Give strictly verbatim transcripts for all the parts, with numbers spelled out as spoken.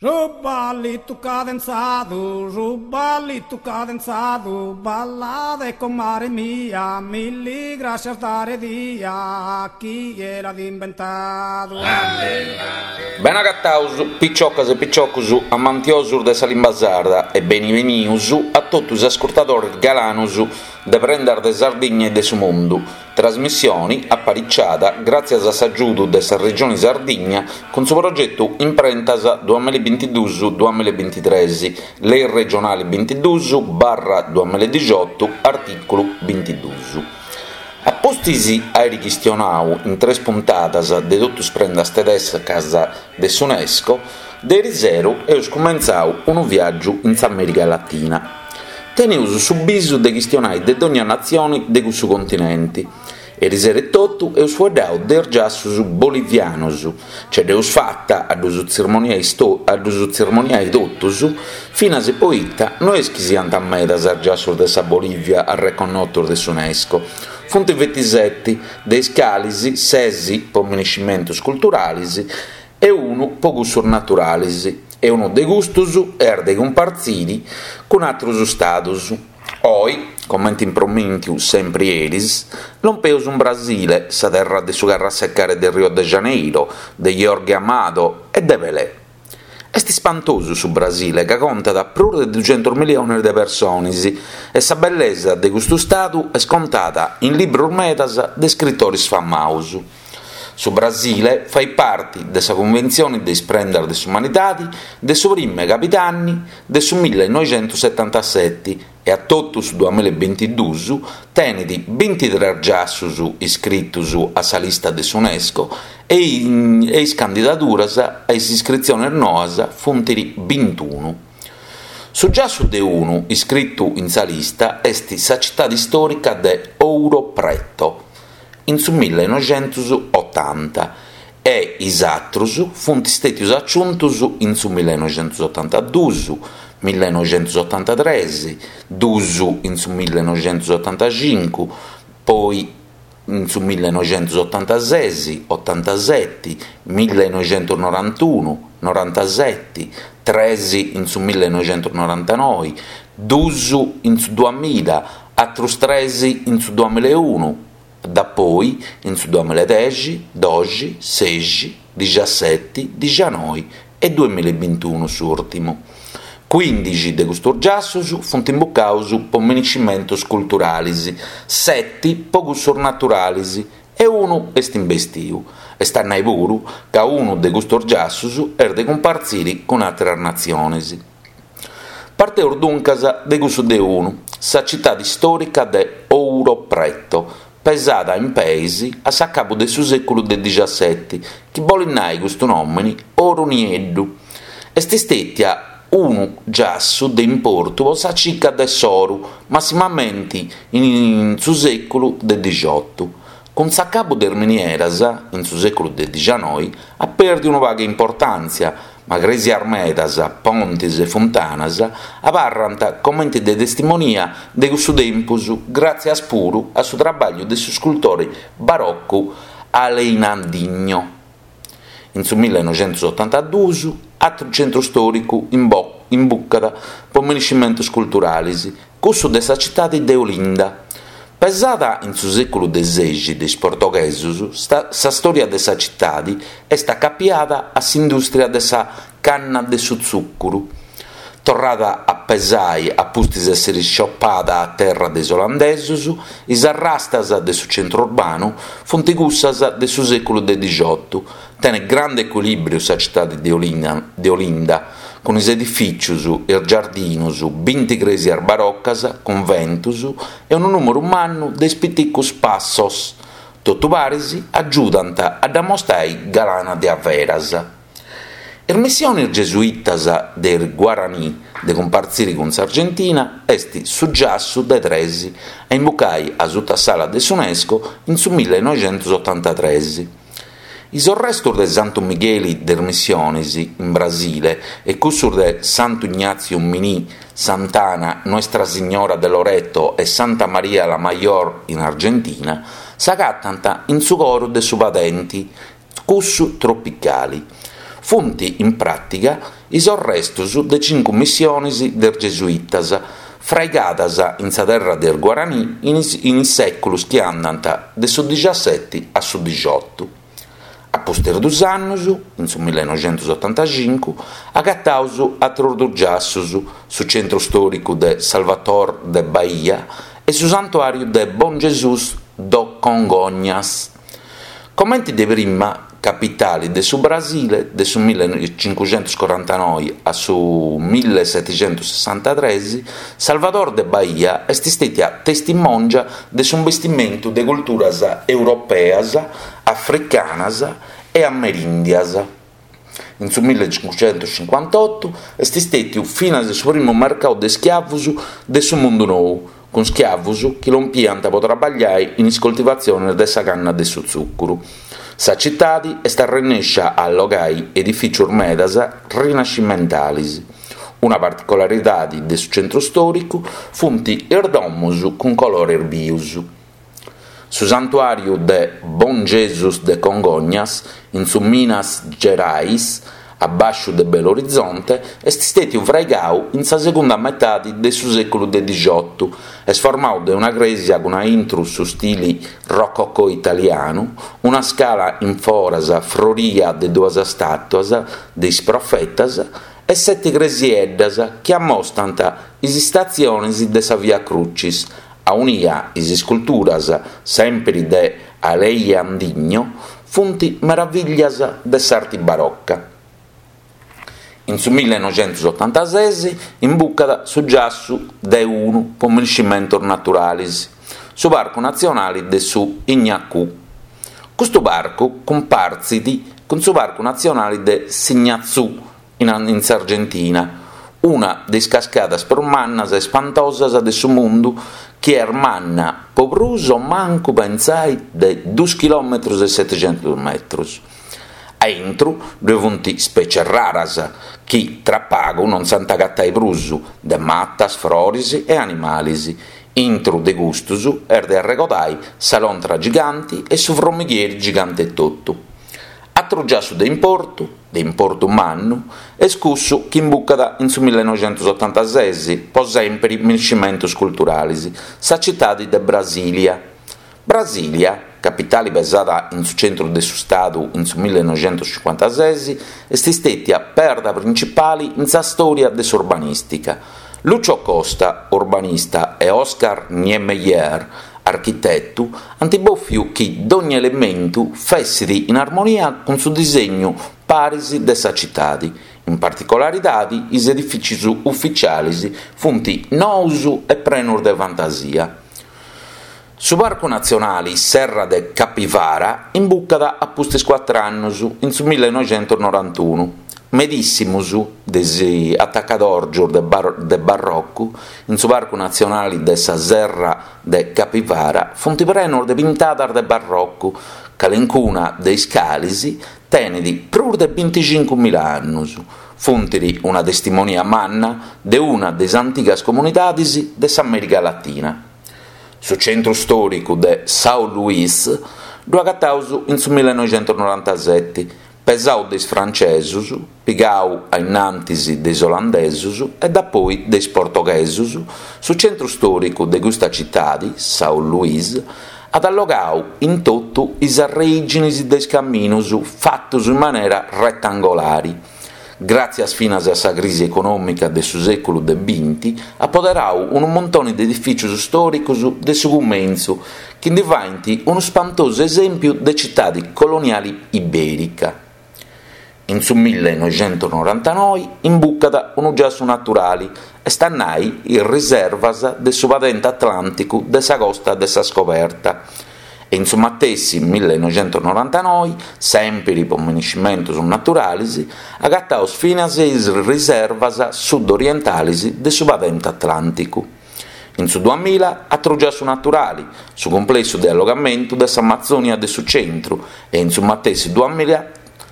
Su ballitu cadenzadu, su ballitu cadenzadu, ballade comare mia, milli grascias dare dia, chie l'at imbentadu. Benagataus piciocas e piciocus amantiosus de sa limba sarda e benivenius a totu is ascurtadores galanos de Prendas de Sardigna e de su Mundu, trasmissione apariciada gràtzias a s'agiudu de sa Regione Sardigna cun su progetu Imprentas duamilla e bintiduus duamilla e bintitres, Lei regionale bintiduus barra duamilla e dixiotu, artìculu bintiduus. A pustis àere chistionadu in tres puntadas de totu is prendas tedescas de s'UNESCO, de erisero amus cumentzadu unu viàgiu in s'Amèrica Latina. Teneus su bisu de chistionare de dònnia natzione de cussu continente. Erisero etotu amus faeddadu de is giassos bolivianos, nche dd'amus fata a ddos a ddos tzermoniare totus, finas poita no est chi siant medas is giassos de sa Bolìvia arreconnotos de s'UNESCO, funt bintisete, de is cales ses pro minescimentos culturales e unu pro cussos naturales, e unu de custos est de cumpartzire cun àteros istados. Oe, comente impromìntiu semper eris, lompeus in Brasile, sa terra de su Carrasecare de Rio de Janeiro, de Jorge Amado e de Pelé. Est ispantosu su Brasile, ca contat prus de duxentos milliones de persones e sa bellesa de custu istadu est contada in libros medas de iscritores famados. Su Brasile fait parte de sa Cunventzione de is Prendas de s'Umanidade de su primu 'e cabidanni de su millenoixentosetantasete e a totu su duamilla e bintiduus tenet bintitres giassos iscritos a sa lista de s'UNESCO e is candidaduras a is iscritziones noas funt bintunu. Su giassu de unu iscritu in sa lista est sa citade istòrica de Ouro Preto, in su millenoixentosotanta, e is àteros funt istètios aciuntos in su millenoixentosotantaduos, millenoixentosotantatres, duos in su millenoixentosotantacincu, poi in su millenoixentosotantases, otantasete, millenoixentonorantunu, norantasete, tres in su millenoixentonorantanoe, duos in su duamilla, àteros tres in su duamilla e unu, dapoi in su duamilla e dexi, doxi, sexi, dixaseti, dixanoe e duamilla e bintunu s'ùrtimu. Cuìndixi de custos giassos funt imbucados pro minescimentos culturales, sete pro cussos naturales e unu est imbestidu, est a nai puru ca unu de custos giassos est de cumpartzire cun àteras natziones. Parteus duncas de cussu de unu, sa citade istòrica de Ouro Preto, pesada in peis a s'acabu de su sèculu de dixasete, chi bolet nai custu nòmene Oro Nieddu. Est istètia unu giassu de importu pro sa cica de s'oru, massimamente in su sèculu de dixiotu. Cun s'acabu de is minieras, in su sèculu de dixanoe, at pèrdidu unu pagu importàntzia, ma crèsias medas, pontes e funtanas abarrant comente de testimonia de cussu tempus gràtzias puru a su traballu de s'iscultore barocu Aleijadinho. In su millenoixentosotantaduos, àteru centru istòricu imbucat pro minescimentos culturales, cussu de sa citade de Olinda. Pesada in su sèculu de sexi de is portoghesos, sa stòria de sa citade est acapiada a s'indùstria de sa canna de su tzùcuru. Torrada a pesare a pustis èssere isciopada a terra de is olandesos, is arrastas de su centru urbanu funt cussas de su sèculu de dixiotu. Tenet grandu ecuilìbriu sa citade de Olinda, cun is edifìtzios, is giardinos, binti crèsias barocas, cunventos e unu nùmeru mannu de is piticos passos. Totu paris agiudant a dda mostrare galana de averas. Is missiones gesuitas de is Guaraní de cumpartzire cun s'Argentina est su giassu de tres a imbucare a suta s'ala de s'UNESCO in su millenoixentosotantatres. Is arrestos de Santu Migheli de is Missiones in Brasile e cussos de Santu Ignazio Miní, Sant'Ana, Nuestra Signora de Loreto e Santa Maria la Mayor in Argentina s'agatant in su coro de su padente, cussu tropicale. Funt in pràtiga is arrestus de cincu missionis de is gesuitas fraigadas in sa terra de is Guaranì in is in is sèculos chi andant de su dixaseti a su dixiotu. A pustis dus annus, in su millenoixentusotantacincu, agataus atrus dus giassus, su centru stòricu de Salvador de Bahia e su santuàriu de Bom Jesus do Congonhas. Comenti de prima capitali de su Brasile, de su millecincuxentuscorantanoe a su millesetixentussessantatres, Salvador de Bahia est stètia testimòngia de s'imbestimentu de culturas europeas, africanas e amerìndias. In su millecincuxentuscincuantotu est stètiu finas su primu mercau de schiavus de su mundu nou, cun schiavus chi lompiant po traballai in is coltivatzionis de sa canna de su tzùcuru. Sa citadi est arrennèscia a allogai edifìtzios medas rinascimentalis. Una particularidadi de su centru stòricu funt is domos cun colores bios. Su santuàriu de Bom Jesus de Congonhas, in su Minas Gerais, a bàsciu de Belo Horizonte, est stètiu fraigadu in sa segunda metade de su sèculu de dixiotu. Est formadu de una crèsia cun a intro su stili rococò italianu, una scala in foras froria de duas stàtuas de is profetas e sete cresieddas chi ammostant is istatziones de sa Via Crucis, aunia is isculturas, semper de Aleijadinho, funt meravìllias de s'arte baroca. In su millenoixentusotantases imbucat su giassu de unu pro minescimentos naturales, su Parcu Natzionale de su Ignacù. Custu parcu cumpartzit cun su Parcu Natzionale de S'Ignazù in s'Argentina una de is cascadas prus mannas e ispantosas de su mundu chi est manna pro prus o mancu pensai de duos chilòmetros e setixentos metros. A intro ddoe funt ispètzies raras chi tra pagu non s'ant a agatai prus, de matas, frores e animales. Intro de custos est de arregodare sa lontra gigante e su frommighieri gigante etotu. Atru giassu de importu, de importu mannu, est cussu chi imbucat in su millenoixentusotantases, pro semper minescimentos culturales, sa citade de Brasìlia. Brasìlia, capitale pesada in su centru de su Stadu in su millenoixentuscincuantases, est istètia perda printzipale in sa stòria de s'urbanìstica. Lucio Costa, urbanista, e Oscar Niemeyer, architetu, ant bòfiu chi dogna elementu fessit in armonia cun su disegnu paris de sa citade. In particularidade is edifìtzios ufitziales funt noos e prenos de fantasia. Su Parcu Natzionale Serra de Capivara imbucat a pustis cuatru annos, in su millenoixentusnorantunu. Medìssimos de is atacadòrgios de de barrocu in su Parcu Natzionale de sa Serra de Capivara funt prenos de pintadas de barrocu, calencuna de is cales tenet prus de binticincu mila annos. Funt una testimonia manna de una de is antigas comunidades de s'Amèrica Latina. Su centru stòricu de São Luís ddu agataus in su millenoixentusnorantasete, pesadu de is francesos, pigadu a innantis de is olandesos e dapoi de is portoghesos, su centru stòricu de custa citade, São Luís, at allogadu in totu is arreìgines de is caminos fatos in manera retangolare. Gràtzias finas a sa crisi econòmica de su sèculu de binti, at poderadu unu muntone de edifìtzios istòricos de su cumentzu chi nde faent unu spantosu esèmpiu de citade coloniale ibèrica. In su millenoixentusnorantanoe imbucat unu giassu naturale, est a nai is riservas de su padente atlànticu de sa Costa de sa Scoberta. E in su matessi millenoixentusnorantanoe, semper pro minescimentos naturales, agataus finas is riservas sud-orientales de su padente atlànticu. In su duamilla atru giassu naturale, su cumplessu de allogamentu de s'Amazònia de su centru, e in su matessi duamilla,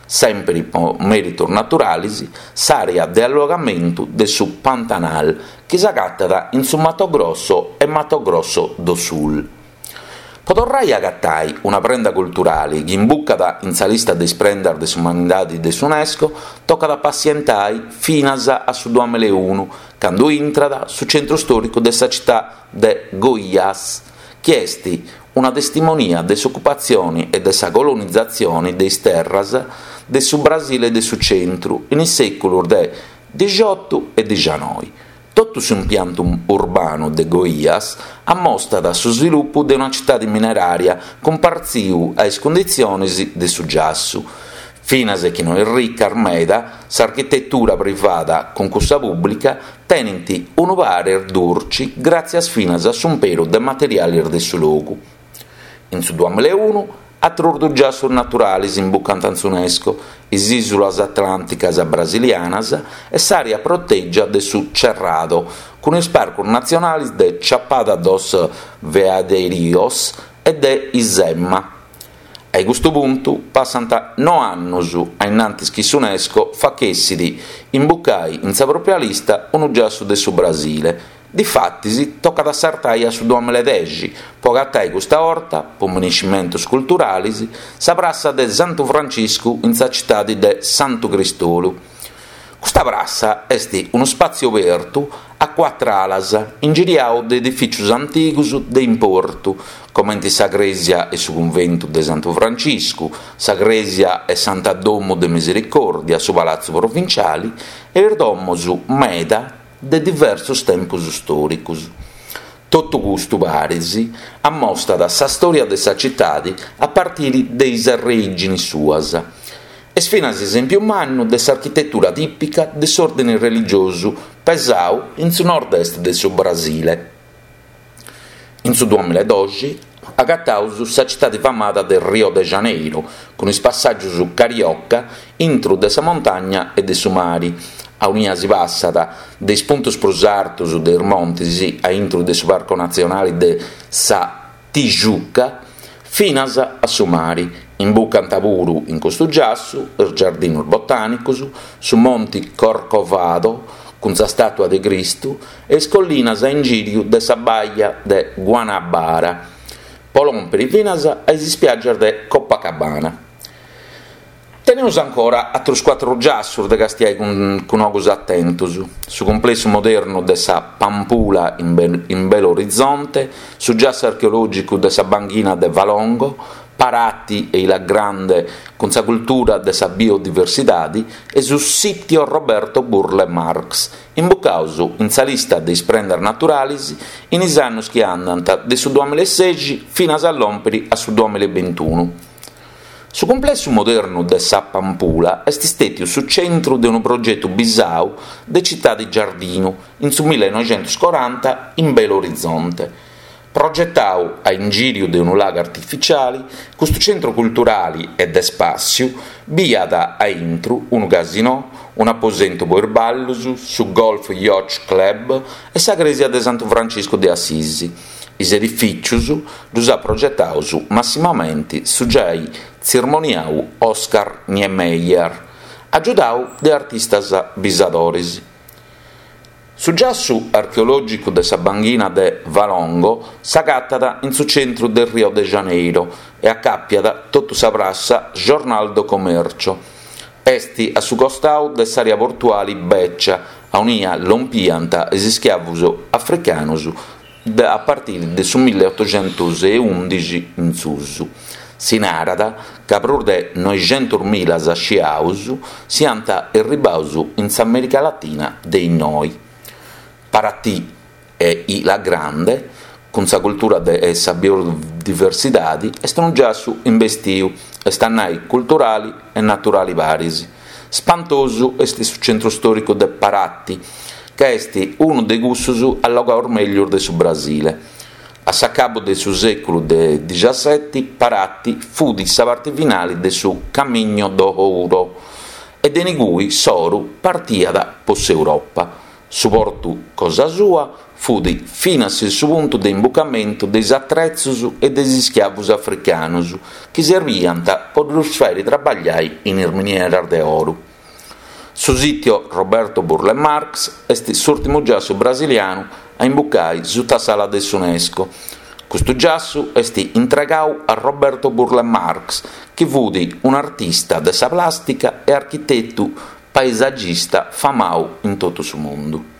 semper pro mèritos naturales, s'àrea de allogamentu de su Pantanal, chi s'agatat in su Mato Grosso e Mato Grosso do Sul. Po torrai a agatai una prenda culturali chi imbucat in sa lista de is prendas de s'umanidadi de s'UNESCO tocat a passientai finas a su duamilla e unu, candu intrat su centru stòricu de sa cità de Goiás, chi est una testimonia de s'ocupatzioni e de sa colonizatzioni de is terras de su Brasile de su centru in is sèculos de dixiotu e dixanoi. Totu s'impiantu urbanu de Goiás ammostat su svilupu de una citade minerària cumpartziu a is cunditziones de su giassu. Finas chi no est rica meda, s'architetura privada cun cussa pùblica tenent unu pàrrere durche gràtzias finas a s'imperu de materiales de su logu. In su duamilla e unu, àteros duos giassos naturales imbucant in s'UNESCO, is ìsulas atlànticas brasilianas e s'àrea protègia de su Cerrado, cun is parcos natzionales de Chapada dos Veadeiros e de Izema. A custu puntu passant noe annos a in antis chi s'UNESCO fachessit imbucare in sa pròpia lista unu giassu de su Brasile. Difatis tocat a sartare a su duamilla e dexi po agatare custa 'orta, po miniscimentos culturales, sa prassa de Santu Franciscu in sa citade de Santu Cristolu. Custa prassa est unu spàtziu abertu a cuatru alas, ingiriadu de edifìtzios antigos de importu, comente sa crèsia e su cunventu de Santu Franciscu, sa crèsia e Santa Domu de Misericòrdia, su Palatzu Provinciale e is domos meda de diversos tempos istòricos. Totu custu paris ammostat sa stòria de sa citade a partire de is arreìgines suas. Est finas esèmpiu mannu de s'architetura tìpica de s'òrdine religiosu pesadu in su nord-est de su Brasile. In su duamilla e doxi agataus sa citade famada de Rio de Janeiro, cun is passàgios carioca intro de sa montagna e de su mare, aunia si passat de is puntos prus artos de is montes a intro de su Parco Natzionale de sa Tijuca finas a su mare. Imbucant puru in custu giassu is giardinos botànicos, su Monte Corcovado cun sa stàtua de Cristu e is collinas a ingìriu de sa baia de Guanabara, po lòmpere finas a is ispiàgias de Copacabana. Teneus ancora àteros cuatru giassos de castiai cun, cun ogos atentos. Su complessu modernu de sa Pampulha in, Be in Belo Horizonte, su giassu archeològicu de sa banchina de Valongo, Paraty e Ilha Grande cun sa cultura de sa biodiversidade e su sitio Roberto Burle Marx, imbucados in sa lista de is prendas naturales in is annos chi andant de su duamilla e sexi finas a lòmpere a su duamilla e bintunu. Su complessu modernu de sa Pampulha est istètiu su centru de unu progetu bisau de citade giardinu in su millenoixentos-coranta in Belo Horizonte. Progetadu a ingìriu de unu lagu artificiale, custu centru culturale e de spàssiu biat a intro unu casinò, un aposentu po is ballos, su Golf Yacht Club e sa crèsia de Santu Franciscu de Assisi. Is edifìtzios ddos at progetados massimamente su giai tzirmoniadu Oscar Niemeyer, agiudadu de artistas bisadores. Su giassu archeològicu de sa banchina de Valongo s'agatat in su centru de Rio de Janeiro e acàpiat totu sa prassa Jornal do Comércio. Est a su costadu de s'àrea portuale beccia, aunia lompiant is ischiavos africanos a partire de su milleottocentos e undixi in susu. Si narat ca prus de noixentos mila sciaos siant arribados in s'America Latina de innoi. Paraty e Ilha Grande, cun sa cultura de sa biodiversidade, est unu giassu imbestiu, est a nai culturale e naturale paris. Spantosu est su centru stòricu de Paraty, ca est unu de cussos allogados mègius de su Brasile. A s'acabu de su sèculu de diciasseti, Paraty fut sa parte finale de su Caminho do Ouro e de inigui s'oro partiat po s'Europa. Su portu cosa sua fut finas su puntu de imbucamento de is atretzos e de is ischiavos africanos chi serviant po ddos fàere trabagliare in is minieras de oro. Su sitio Roberto Burle Marx est s'ùrtimu giassu brasilianu a imbucare sutta s'ala de s'UNESCO. Custu giassu est intregadu a Roberto Burle Marx, chi fiat un'artista de sa plàstica e architetu paesagista famadu in totu su mundu.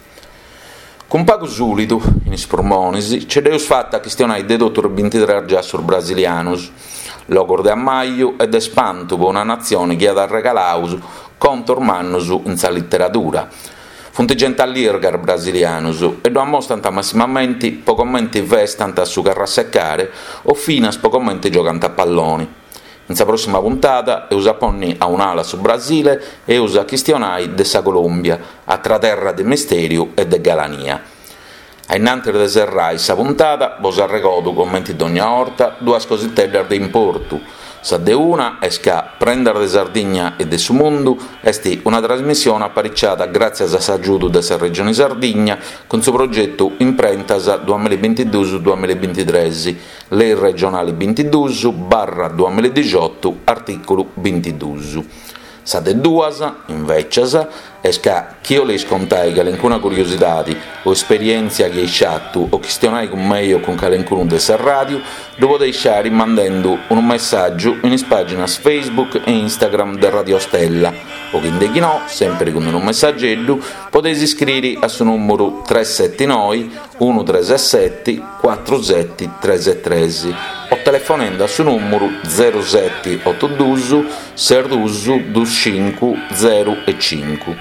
Cun pagu sùlidu in is purmones nche dd'amus fata a chistionare de totu is bintitrès giassos brasilianos, logos de ammaju e de ispantu pro una natzione chi at regaladu contos mannos in sa literadura. Funt gente allirga is brasilianos e ddu ammostrant massimamente pro comente festant su carrasecare o finas pro comente giogant a pallone. In sa prossima puntada amus a pònnere a un'ala su Brasile e amus a chistionare de sa Colòmbia, atra terra de mistèriu e de galania. A innantis de serrare sa puntada bos arregodo, comente dogna 'orta, duas cositeddas de importu. Sa de una est ca Prendas de Sardigna e de su Mundu est una trasmissione apariciada gràtzias a s'agiudu de sa Regione Sardigna cun su progetu Imprentas duamillabintiduos duamillabintitrès, Lei regionale bintiduos barra duamilladixoto, artìculu bintiduos. Sa de duas, invècias, est ca chi 'oleis contare calencuna curiosidade o esperièntzia chi eis fatu o chistionare cun mei o cun calencunu de sa ràdiu, ddu podeis fàghere mandende unu messàgiu in is pàginas Facebook e Instagram de Radio Stella o chi no, semper cun unu messageddu, podeis iscrìere a su nùmeru tres sete noe unu tres sete cuatru sete tres tres o telefonende a su nùmeru zero sete oto duos ses duos duos cincu zero e cincu.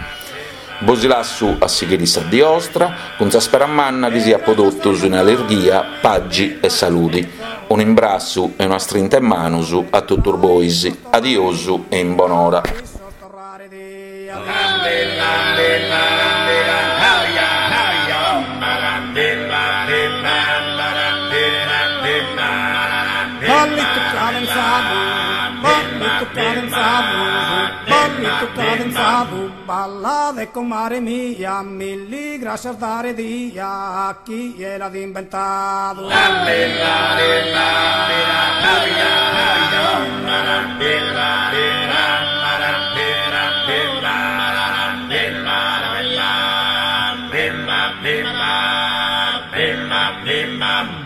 Bos lasso a sighire sa die 'ostra cun sa spera manna chi siat pro totus in allirghia, pagi e salude. Un'imbrassu e una strinta 'e manos a totus bois. Adiosu e in bonora. Ballito cadenzado, ballito cadenzado, ballito cadenzado, balla de comare mia, milli gracias dare dia a chi l'ha inventado. Bimba, bimba, bimba.